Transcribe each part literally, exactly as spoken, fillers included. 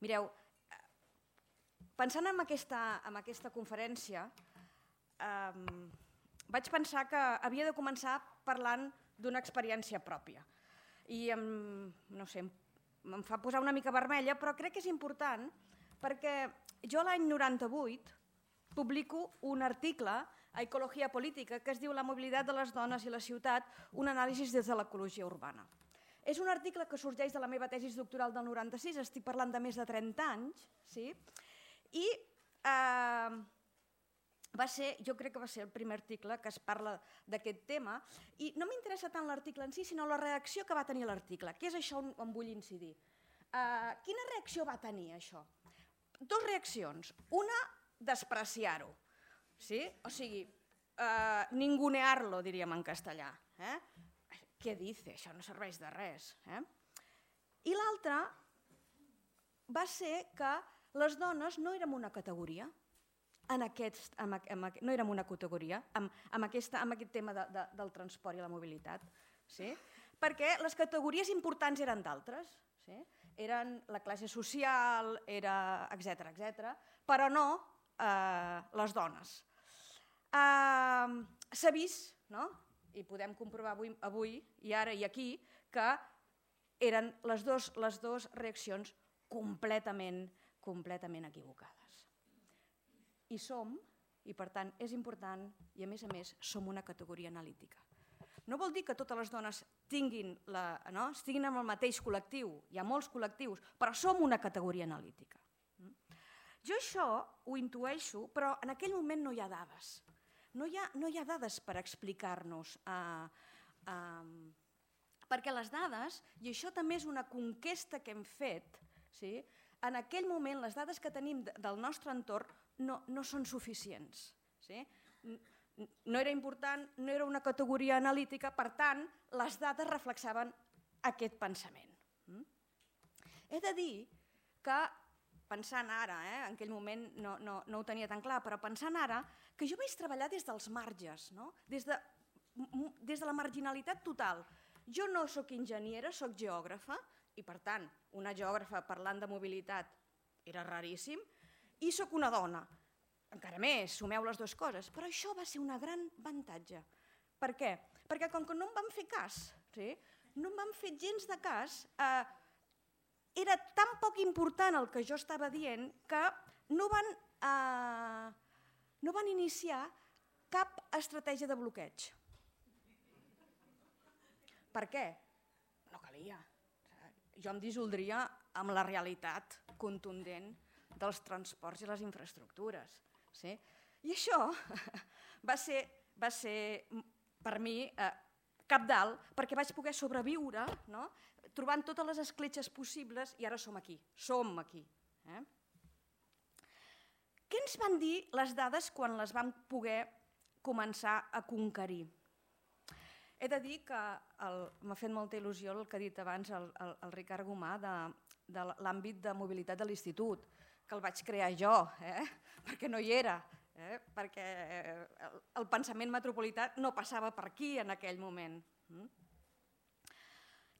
Mireu, pensant en aquesta, en aquesta conferència, eh, vaig pensar que havia de començar parlant d'una experiència pròpia. I em, no sé, em fa posar una mica vermella, però crec que és important perquè jo l'any noranta-vuit publico un article a Ecologia Política que es diu La mobilitat de les dones i la ciutat, un anàlisi des de l'ecologia urbana. És un article que sorgeix de la meva tesi doctoral del noranta-sis, estic parlant de més de trenta anys, sí? I eh, va ser, jo crec que va ser el primer article que es parla d'aquest tema, i no m'interessa tant l'article en si, sinó la reacció que va tenir l'article, que és això on vull incidir. Eh, quina reacció va tenir això? Dos reaccions. Una, despreciar-ho, sí? O sigui, eh, ningunear-lo, diríem en castellà. Eh? Què dice? Això no serveix de res. Eh? I l'altra va ser que les dones no érem una categoria, en aquest, en, en, no érem una categoria en, en, aquesta, en aquest tema de, de, del transport i la mobilitat, sí? Perquè les categories importants eren d'altres, sí? Eren la classe social, era etcètera, etcètera, però no eh, les dones. Eh, S'ha vist, no? I podem comprovar avui, avui i ara i aquí, que eren les dues les dos reaccions completament, completament equivocades. I som, i per tant és important, i a més a més som una categoria analítica. No vol dir que totes les dones tinguin, la, no? estiguin en el mateix col·lectiu, hi ha molts col·lectius, però som una categoria analítica. Jo això ho intueixo, però en aquell moment no hi ha dades. No hi ha, no hi ha dades per explicar-nos, eh, eh, perquè les dades, i això també és una conquesta que hem fet, sí? En aquell moment les dades que tenim del nostre entorn no, no són suficients. Sí? No era important, no era una categoria analítica, per tant, les dades reflexaven aquest pensament. He de dir que, pensant ara, eh, en aquell moment no, no, no ho tenia tan clar, però pensant ara, que jo vaig treballar des dels marges, no? des, de, des de la marginalitat total. Jo no sóc enginyera, sóc geògrafa, i per tant, una geògrafa parlant de mobilitat era raríssim, i sóc una dona. Encara més, sumeu les dues coses, però això va ser un gran avantatge. Per què? Perquè com que no em van fer cas, sí? no em van fer gens de cas, eh, era tan poc important el que jo estava dient que no van, eh, no van iniciar cap estratègia de bloqueig. Per què? No calia. Jo em dissoldria amb la realitat contundent dels transports i les infraestructures. Sí? I això va ser, va ser per mi eh, cabdal, perquè vaig poder sobreviure, no? Trobant totes les escletxes possibles, i ara som aquí, som aquí. Eh? Què ens van dir les dades quan les vam poder començar a conquerir? He de dir que m'ha fet molta il·lusió el que ha dit abans el, el, el Ricard Gomà de, de l'àmbit de mobilitat de l'institut, que el vaig crear jo, eh? perquè no hi era, eh? perquè el, el pensament metropolità no passava per aquí en aquell moment. Mm?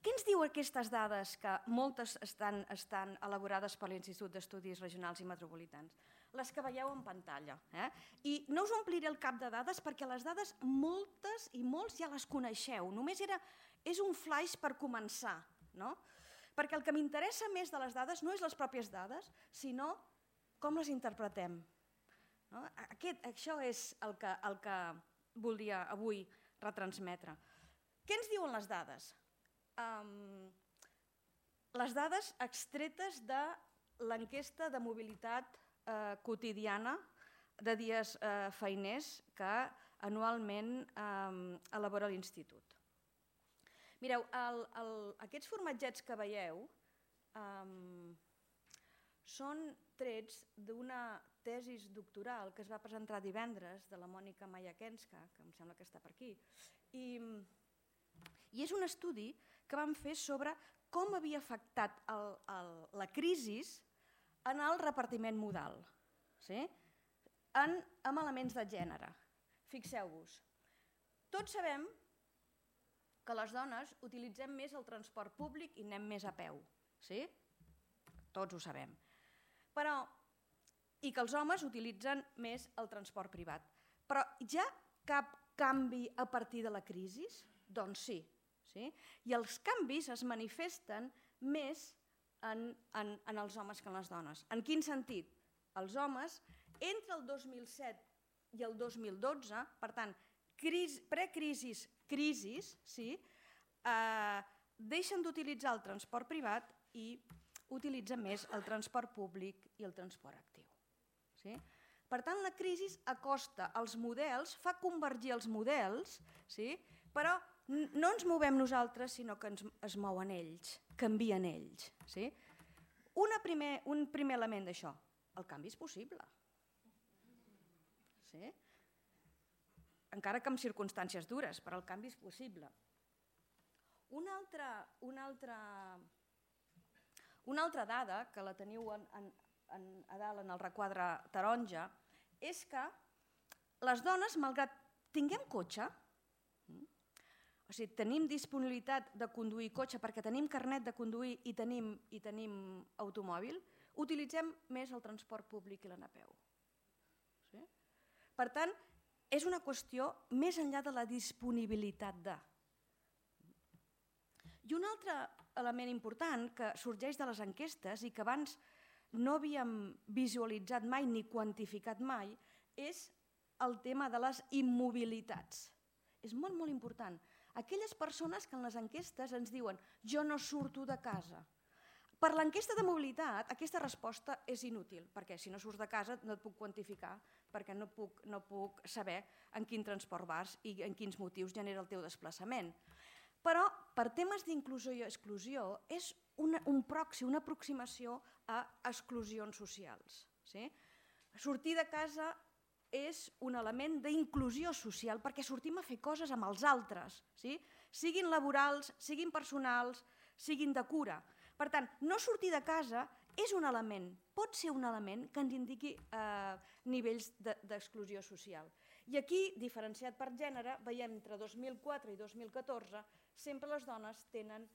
Què ens diu aquestes dades, que moltes estan, estan elaborades per l'Institut d'Estudis Regionals i Metropolitans? Les que veieu en pantalla. Eh? I no us ompliré el cap de dades perquè les dades moltes i molts ja les coneixeu. Només era, és un flaix per començar. No? Perquè el que m'interessa més de les dades no és les pròpies dades, sinó com les interpretem. No? Aquest, això és el que, el que volia avui retransmetre. Què ens diuen les dades? Um, les dades extretes de l'enquesta de mobilitat eh, quotidiana de dies eh, feiners que anualment eh, elabora l'Institut. Mireu, el, el, aquests formatgets que veieu eh, són trets d'una tesi doctoral que es va presentar divendres de la Mònica Mayakenska, que em sembla que està per aquí, i, i és un estudi que vam fer sobre com havia afectat el, el, la crisi en el repartiment modal, sí? en, en elements de gènere. Fixeu-vos, tots sabem que les dones utilitzem més el transport públic i anem més a peu. Sí? tots ho sabem. Però, i que els homes utilitzen més el transport privat. Però hi ha cap canvi a partir de la crisi? Doncs sí. sí? I els canvis es manifesten més en, en, en els homes que en les dones. En quin sentit? Els homes, entre el dos mil set i el dos mil dotze, per tant, precrisis, crisis, sí, eh, deixen d'utilitzar el transport privat i utilitzen més el transport públic i el transport actiu. Sí? Per tant, la crisi acosta els models, fa convergir els models, sí? Però no ens movem nosaltres, sinó que ens, es mouen ells, canvien ells. Sí? Una primer, un primer element d'això, el canvi és possible. Sí? Encara que en circumstàncies dures, però el canvi és possible. Una altra, una altra, una altra dada, que la teniu en, en, en, a dalt en el requadre taronja, és que les dones, malgrat tinguem cotxe, o sigui, tenim disponibilitat de conduir cotxe perquè tenim carnet de conduir i tenim, i tenim automòbil, utilitzem més el transport públic i l'anar a peu. Sí? Per tant, és una qüestió més enllà de la disponibilitat de. I un altre element important que sorgeix de les enquestes i que abans no havíem visualitzat mai ni quantificat mai és el tema de les immobilitats. És molt, molt important. Aquelles persones que en les enquestes ens diuen jo no surto de casa. Per l'enquesta de mobilitat aquesta resposta és inútil, perquè si no surts de casa no et puc quantificar, perquè no puc, no puc saber en quin transport vas i en quins motius genera el teu desplaçament. Però per temes d'inclusió i exclusió és una, un proxy, una aproximació a exclusions socials. Sí? Sortir de casa és un element d'inclusió social perquè sortim a fer coses amb els altres, sí? Siguin laborals, siguin personals, siguin de cura. Per tant, no sortir de casa és un element, pot ser un element que ens indiqui eh, nivells d'exclusió social. I aquí, diferenciat per gènere, veiem entre dos mil quatre i dos mil catorze, sempre les dones tenen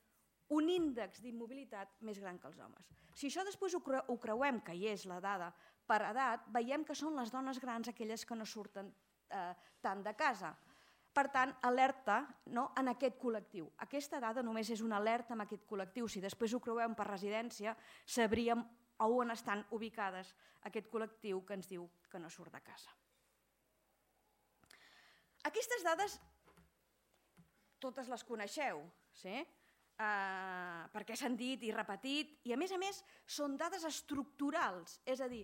un índex d'immobilitat més gran que els homes. Si això després ho creuem, que hi és la dada per edat, veiem que són les dones grans aquelles que no surten eh, tant de casa. Per tant, alerta no, en aquest col·lectiu. Aquesta dada només és una alerta en aquest col·lectiu. Si després ho creuem per residència, sabríem on estan ubicades aquest col·lectiu que ens diu que no surt de casa. Aquestes dades totes les coneixeu, sí? Uh, perquè s'han dit i repetit, i a més a més són dades estructurals, és a dir,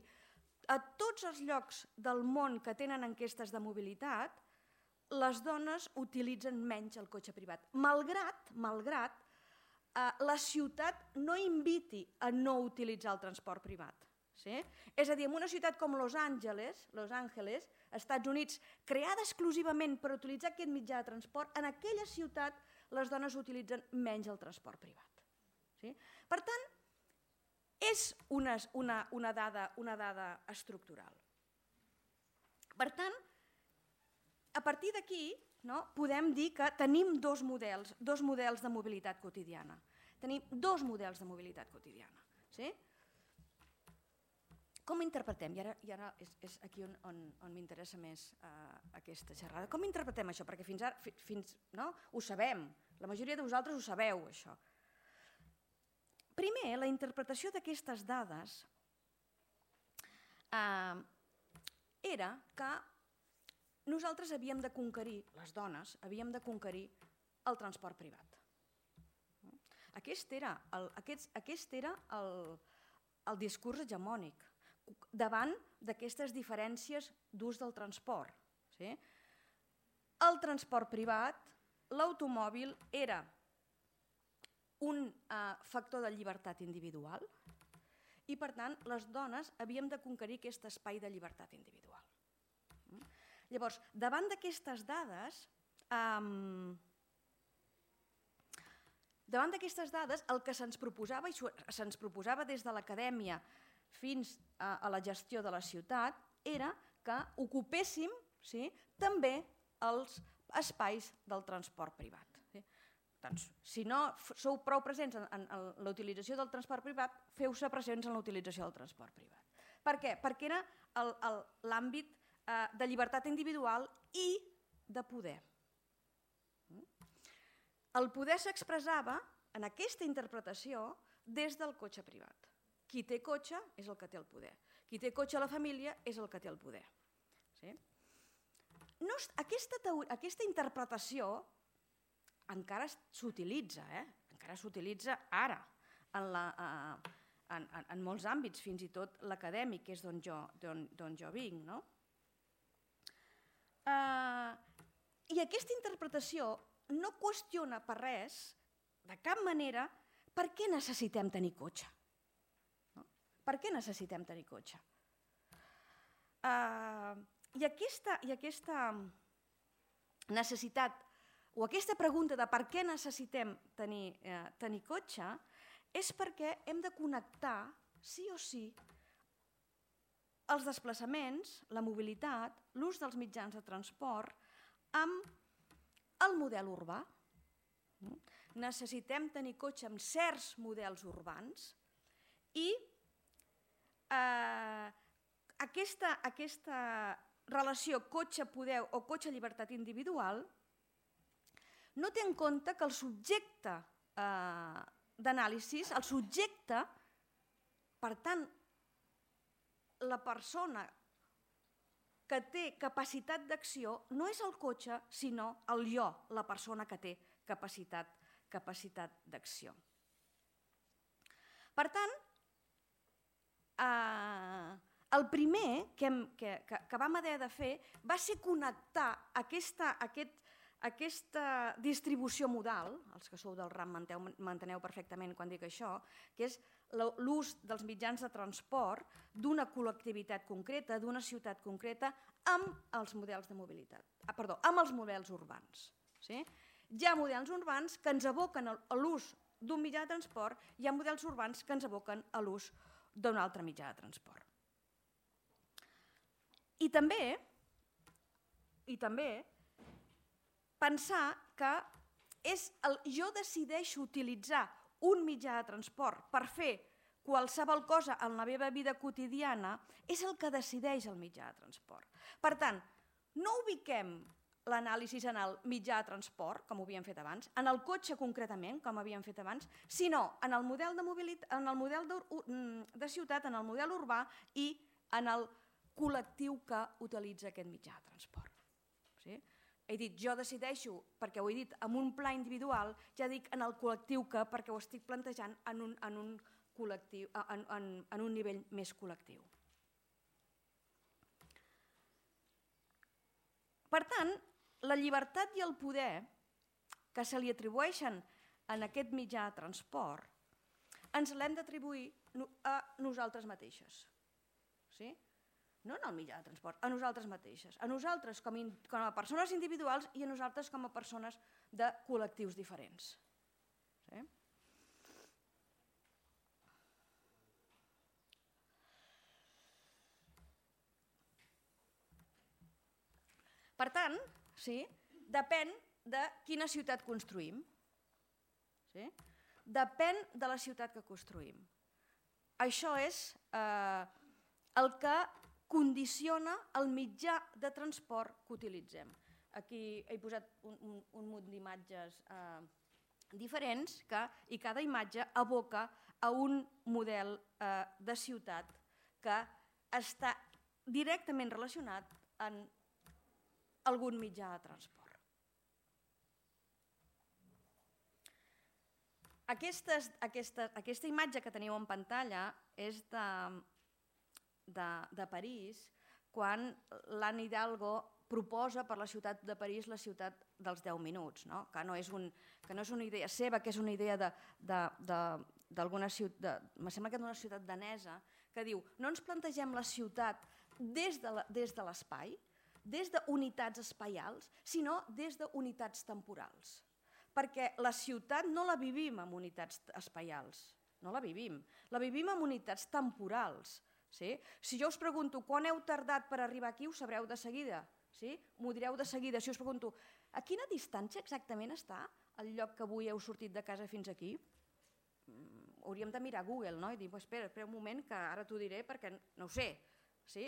a tots els llocs del món que tenen enquestes de mobilitat, les dones utilitzen menys el cotxe privat, malgrat, malgrat uh, la ciutat no inviti a no utilitzar el transport privat. Sí? És a dir, en una ciutat com Los Angeles, Los Angeles, Estats Units, creada exclusivament per utilitzar aquest mitjà de transport, en aquella ciutat les dones utilitzen menys el transport privat. Sí? Per tant, és una, una, una, dada, una dada estructural. Per tant, a partir d'aquí no, podem dir que tenim dos models, dos models de mobilitat quotidiana. Tenim dos models de mobilitat quotidiana. Sí? Com interpretem? I ara, i ara és, és aquí on, on, on m'interessa més uh, aquesta xerrada. Com interpretem això? Perquè fins ara fi, fins, no? Ho sabem, la majoria de vosaltres ho sabeu, això. Primer, la interpretació d'aquestes dades uh, era que nosaltres havíem de conquerir, les dones, havíem de conquerir el transport privat. Aquest era el, aquest, aquest era el, el discurs hegemònic davant d'aquestes diferències d'ús del transport. Sí? El transport privat, l'automòbil, era un eh, factor de llibertat individual i, per tant, les dones havíem de conquerir aquest espai de llibertat individual. Llavors, davant d'aquestes dades, eh, davant d'aquestes dades, el que se'ns proposava, i se'ns proposava des de l'acadèmia fins a la gestió de la ciutat, era que ocupéssim sí, també els espais del transport privat. Sí? Doncs, si no sou prou presents en, en la utilització del transport privat, feu-se presents en la utilització del transport privat. Per què? Perquè era l'àmbit eh, de llibertat individual i de poder. El poder s'expressava en aquesta interpretació des del cotxe privat. Qui té cotxe és el que té el poder. Qui té cotxe a la família és el que té el poder. Sí? No, aquesta, aquesta interpretació encara s'utilitza, eh? encara s'utilitza ara en, la, eh, en, en, en molts àmbits, fins i tot l'acadèmic, que és d'on jo, jo vinc. No? Eh, I aquesta interpretació no qüestiona per res, de cap manera, per què necessitem tenir cotxe. No? Per què necessitem tenir cotxe? Uh, i, aquesta, I aquesta necessitat, o aquesta pregunta de per què necessitem tenir, eh, tenir cotxe, és perquè hem de connectar, sí o sí, els desplaçaments, la mobilitat, l'ús dels mitjans de transport, amb el model urbà. Necessitem tenir cotxe amb certs models urbans i eh, aquesta, aquesta relació cotxe-poder o cotxe-llibertat individual no té en compte que el subjecte eh, d'anàlisi, el subjecte, per tant, la persona que té capacitat d'acció no és el cotxe, sinó el jo, la persona que té capacitat, capacitat d'acció. Per tant, eh, el primer que, hem, que, que, que vam haver de fer va ser connectar aquesta, aquest, aquesta distribució modal, els que sou del RAM m'enteneu perfectament quan dic això, que és l'ús dels mitjans de transport d'una col·lectivitat concreta, d'una ciutat concreta, amb els models de mobilitat, ah, perdó, amb els models urbans. Sí? Hi ha models urbans que ens aboquen a l'ús d'un mitjà de transport, hi ha models urbans que ens aboquen a l'ús d'un altre mitjà de transport. I també, i també pensar que és el, jo decideixo utilitzar un mitjà de transport per fer qualsevol cosa en la meva vida quotidiana és el que decideix el mitjà de transport. Per tant, no ubiquem l'anàlisi en el mitjà de transport, com ho havíem fet abans, en el cotxe concretament, com havíem fet abans, sinó en el model de mobilitat, en el model de, de ciutat, en el model urbà i en el col·lectiu que utilitza aquest mitjà de transport. Sí? He dit, jo decideixo, perquè ho he dit en un pla individual, ja dic en el col·lectiu que, perquè ho estic plantejant en un, en un, col·lectiu, en, en, en un nivell més col·lectiu. Per tant, la llibertat i el poder que se li atribueixen en aquest mitjà de transport ens l'hem d'atribuir a nosaltres mateixes. Sí? No en el mitjà de transport, a nosaltres mateixes, a nosaltres com, in, com a persones individuals i a nosaltres com a persones de col·lectius diferents. Sí? Per tant, sí, depèn de quina ciutat construïm. Sí? Depèn de la ciutat que construïm. Això és eh, el que condiciona el mitjà de transport que utilitzem. Aquí he posat un, un, un munt d'imatges eh, diferents que, i cada imatge aboca a un model eh, de ciutat que està directament relacionat amb algun mitjà de transport. Aquestes, aquesta, aquesta imatge que teniu en pantalla és de, de, de París, quan l'Anne Hidalgo proposa per la ciutat de París la ciutat dels deu minuts, no? Que, no és un, que no és una idea seva, que és una idea d'alguna ciutat, me sembla que d'una ciutat danesa, que diu, no ens plantegem la ciutat des de la, des de l'espai, des d'unitats espaials, sinó des d'unitats temporals. Perquè la ciutat no la vivim en unitats espaials, no la vivim, la vivim en unitats temporals. Sí? Si jo us pregunto quan heu tardat per arribar aquí, ho sabreu de seguida, sí? M'ho direu de seguida. Si us pregunto a quina distància exactament està el lloc que avui heu sortit de casa fins aquí? Hauríem de mirar Google, no? I dir, espera, espera un moment que ara t'ho diré perquè no ho sé. Sí?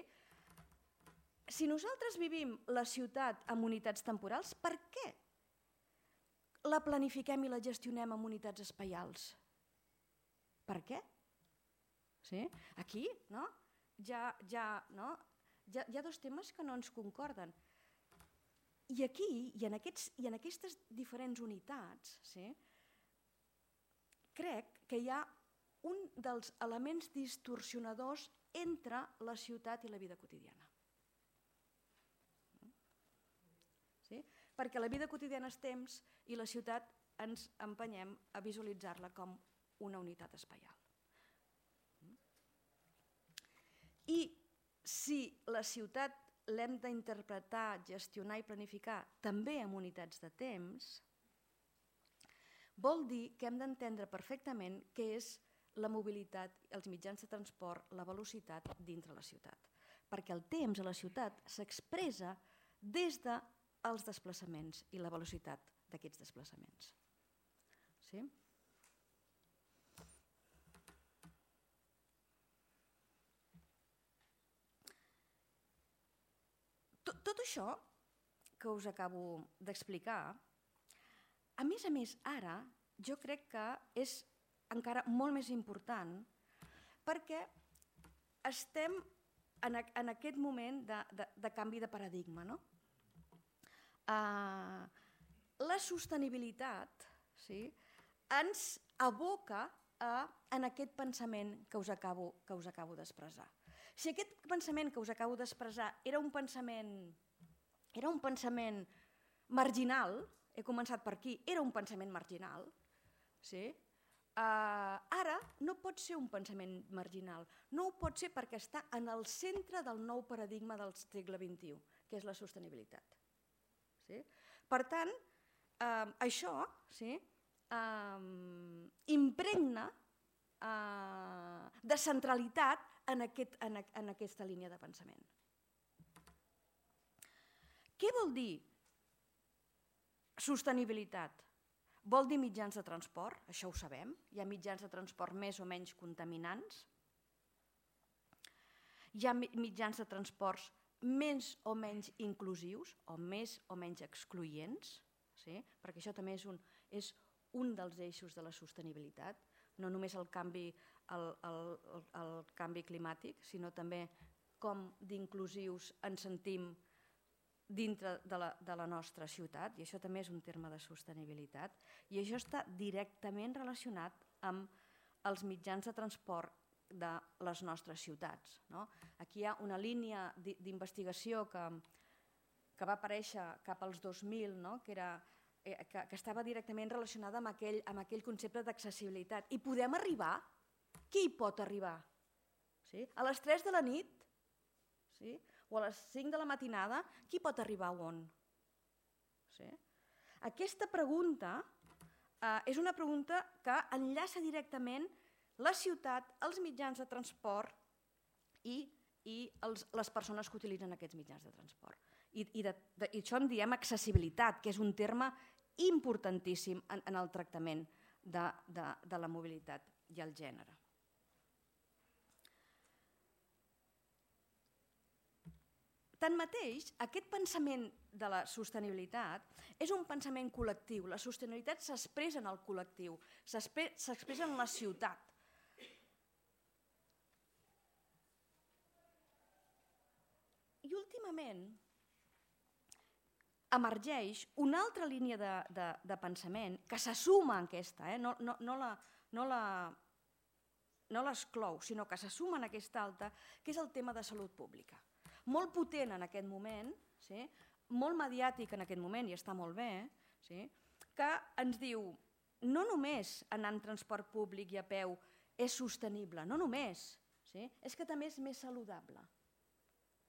Si nosaltres vivim la ciutat amb unitats temporals, per què la planifiquem i la gestionem amb unitats espaials? Per què? Sí? Aquí no? Ja, ja, no? Ja, hi ha dos temes que no ens concorden. I aquí, i en, aquests, i en aquestes diferents unitats, sí, crec que hi ha un dels elements distorsionadors entre la ciutat i la vida quotidiana. Sí? Perquè la vida quotidiana és temps i la ciutat ens empenyem a visualitzar-la com una unitat espaial. I si la ciutat l'hem d'interpretar, gestionar i planificar també amb unitats de temps, vol dir que hem d'entendre perfectament què és la mobilitat, els mitjans de transport, la velocitat dintre la ciutat. Perquè el temps a la ciutat s'expressa des dels desplaçaments i la velocitat d'aquests desplaçaments. Sí? Tot això que us acabo d'explicar, a més a més ara, jo crec que és encara molt més important perquè estem en aquest moment de, de, de canvi de paradigma. No? Uh, la sostenibilitat, sí, ens aboca a, en aquest pensament que us acabo, que us acabo d'expressar. Si aquest pensament que us acabo d'expressar era un pensament, era un pensament marginal, he començat per aquí, era un pensament marginal, sí? uh, ara no pot ser un pensament marginal, no ho pot ser perquè està en el centre del nou paradigma del segle vint-i-u, que és la sostenibilitat. Sí? Per tant, uh, això sí, uh, impregna uh, de centralitat en, aquest, en, en aquesta línia de pensament. Què vol dir sostenibilitat? Vol dir mitjans de transport, això ho sabem, hi ha mitjans de transport més o menys contaminants, hi ha mitjans de transports més o menys inclusius o més o menys excloents, sí? Perquè això també és un, és un dels eixos de la sostenibilitat, no només el canvi, el, el, el, el canvi climàtic, sinó també com d'inclusius ens sentim dintre de la, de la nostra ciutat, i això també és un terme de sostenibilitat, i això està directament relacionat amb els mitjans de transport de les nostres ciutats. No? Aquí hi ha una línia d'investigació que, que va aparèixer cap als dos mil, no? que, era, eh, que, que estava directament relacionada amb aquell, amb aquell concepte d'accessibilitat. I podem arribar? Qui hi pot arribar? Sí? A les tres de la nit? Sí? O a les cinc de la matinada, qui pot arribar on? Sí? Aquesta pregunta eh, és una pregunta que enllaça directament la ciutat, els mitjans de transport i, i els, les persones que utilitzen aquests mitjans de transport. I, i, de, de, i això en diem accessibilitat, que és un terme importantíssim en, en el tractament de, de, de la mobilitat i el gènere. Tanmateix, aquest pensament de la sostenibilitat és un pensament col·lectiu. La sostenibilitat s'expressa en el col·lectiu, s'expressa en la ciutat. I últimament emergeix una altra línia de, de, de pensament que se suma a aquesta, eh? no, no, no la, no la, no l'exclou, sinó que se suma en aquesta altra, que és el tema de salut pública. Molt potent en aquest moment, sí? Molt mediàtic en aquest moment, i està molt bé, sí? Que ens diu, no només anar en transport públic i a peu és sostenible, no només, sí? És que també és més saludable.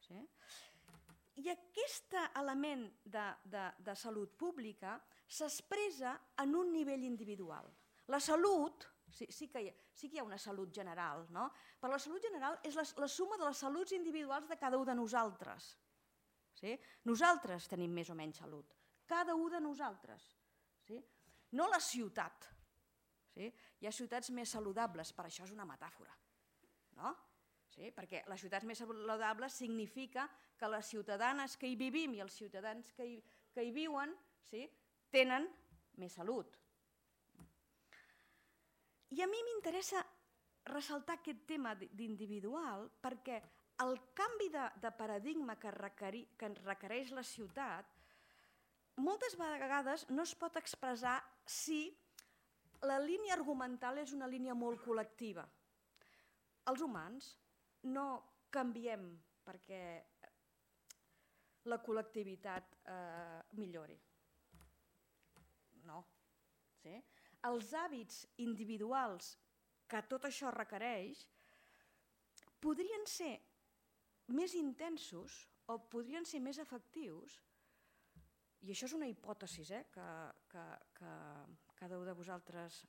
Sí? I aquest element de, de, de salut pública s'expressa en un nivell individual. La salut, sí, sí, que hi ha, sí que hi ha una salut general, no? Però la salut general és la, la suma de les saluts individuals de cada un de nosaltres. Sí? Nosaltres tenim més o menys salut, cada un de nosaltres. Sí? no la ciutat. Sí? Hi ha ciutats més saludables, per això és una metàfora. No? Sí? Perquè les ciutats més saludables significa que les ciutadanes que hi vivim i els ciutadans que hi, que hi viuen, sí, tenen més salut. I a mi m'interessa ressaltar aquest tema d'individual perquè el canvi de, de paradigma que, requeri, que requereix la ciutat moltes vegades no es pot expressar si la línia argumental és una línia molt col·lectiva. Els humans no canviem perquè la col·lectivitat eh, millori. No. Sí? Els hàbits individuals que tot això requereix podrien ser més intensos o podrien ser més efectius, i això és una hipòtesi eh, que, que, que cada un de vosaltres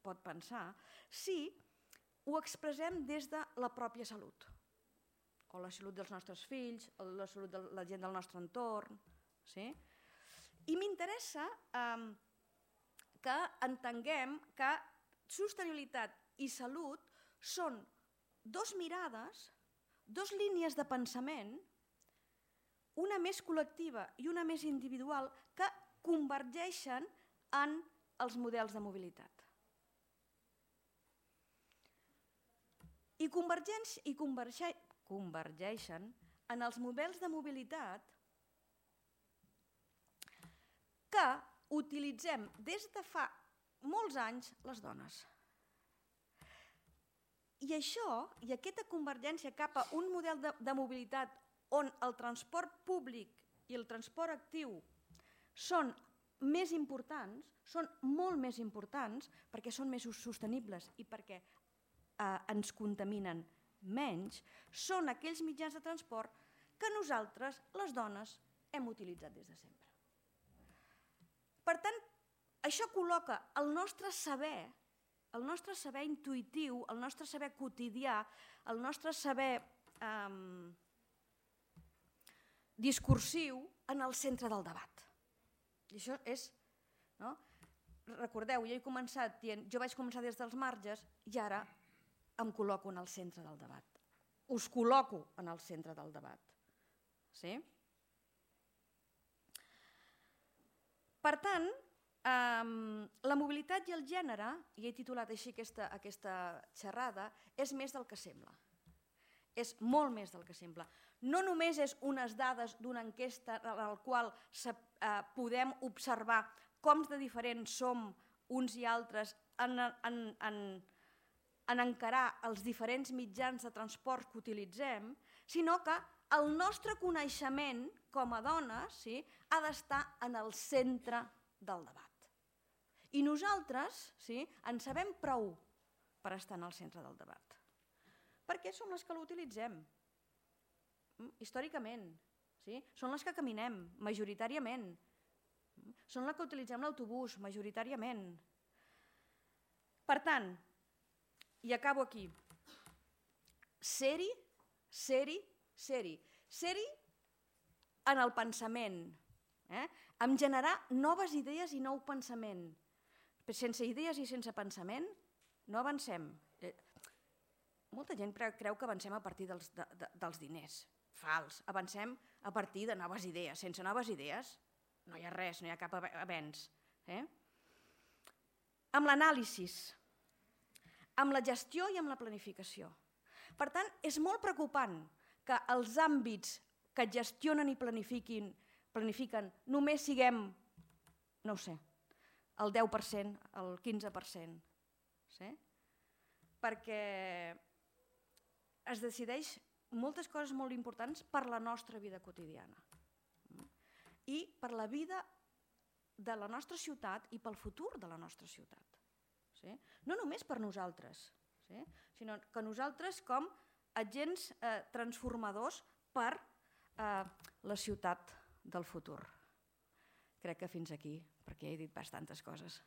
pot pensar, si ho expressem des de la pròpia salut, o la salut dels nostres fills, o la salut de la gent del nostre entorn. Sí? I m'interessa eh, que entenguem que sostenibilitat i salut són dos mirades, dos línies de pensament, una més col·lectiva i una més individual, que convergeixen en els models de mobilitat. I, i converge, convergeixen en els models de mobilitat que utilitzem des de fa molts anys les dones. I això, i aquesta convergència cap a un model de, de mobilitat on el transport públic i el transport actiu són més importants, són molt més importants perquè són més sostenibles i perquè eh, ens contaminen menys, són aquells mitjans de transport que nosaltres, les dones, hem utilitzat des de sempre. Per tant, això col·loca el nostre saber, el nostre saber intuïtiu, el nostre saber quotidià, el nostre saber eh, discursiu en el centre del debat. I això és, no? Recordeu, jo he començat dient, jo vaig començar des dels marges i ara em col·loco en el centre del debat. Us col·loco en el centre del debat. Sí? Per tant, eh, la mobilitat i el gènere, i he titulat així aquesta, aquesta xerrada, és més del que sembla. És molt més del que sembla. No només és unes dades d'una enquesta en la qual se, eh, podem observar com de diferents som uns i altres en, en, en, en encarar els diferents mitjans de transport que utilitzem, sinó que el nostre coneixement com a dones, sí, ha d'estar en el centre del debat. I nosaltres, sí, en sabem prou per estar en el centre del debat. Perquè som les que l'utilitzem, històricament. Sí? Són les que caminem, majoritàriament. Són les que utilitzem l'autobús, majoritàriament. Per tant, i acabo aquí, ser-hi, ser-hi, ser-hi. Ser-hi en el pensament, eh? en generar noves idees i nou pensament. Sense idees i sense pensament no avancem. Molta gent creu que avancem a partir dels, de, de, dels diners. Fals. Avancem a partir de noves idees. Sense noves idees no hi ha res, no hi ha cap avenç. Eh? Amb l'anàlisi, amb la gestió i amb la planificació. Per tant, és molt preocupant que els àmbits que gestionen i planifiquin, planifiquen només siguem, no ho sé, el deu per cent, el quinze per cent. Sí? Perquè es decideix moltes coses molt importants per la nostra vida quotidiana i per la vida de la nostra ciutat i pel futur de la nostra ciutat. Sí? No només per nosaltres, sí? Sinó que nosaltres com agents eh, transformadors per eh, la ciutat del futur. Crec que fins aquí, perquè he dit bastantes coses.